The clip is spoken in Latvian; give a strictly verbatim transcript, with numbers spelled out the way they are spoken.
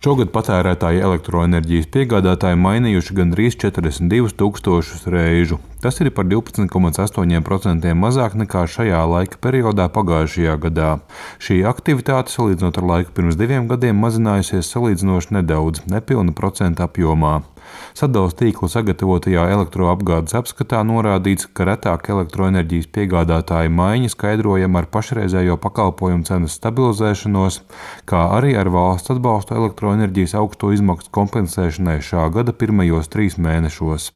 Šogad patērētāji elektroenerģijas piegādātāji mainījuši gandrīz četrdesmit divus tūkstošus reižu. Tas ir par divpadsmit komats astoņi procenti mazāk nekā šajā laika periodā pagājušajā gadā. Šī aktivitāte, salīdzinot ar laiku pirms diviem gadiem, mazinājusies salīdzinoši nedaudz, nepilna procenta apjomā. Sadales tīkla sagatavotajā elektroapgādes apskatā norādīts, ka retāk elektroenerģijas piegādātāju maiņa skaidrojama ar pašreizējo pakalpojumu cenas stabilizēšanos, kā arī ar valsts atbalstu elektroenerģijas augsto izmaksu kompensēšanai šā gada pirmajos trīs mēnešos.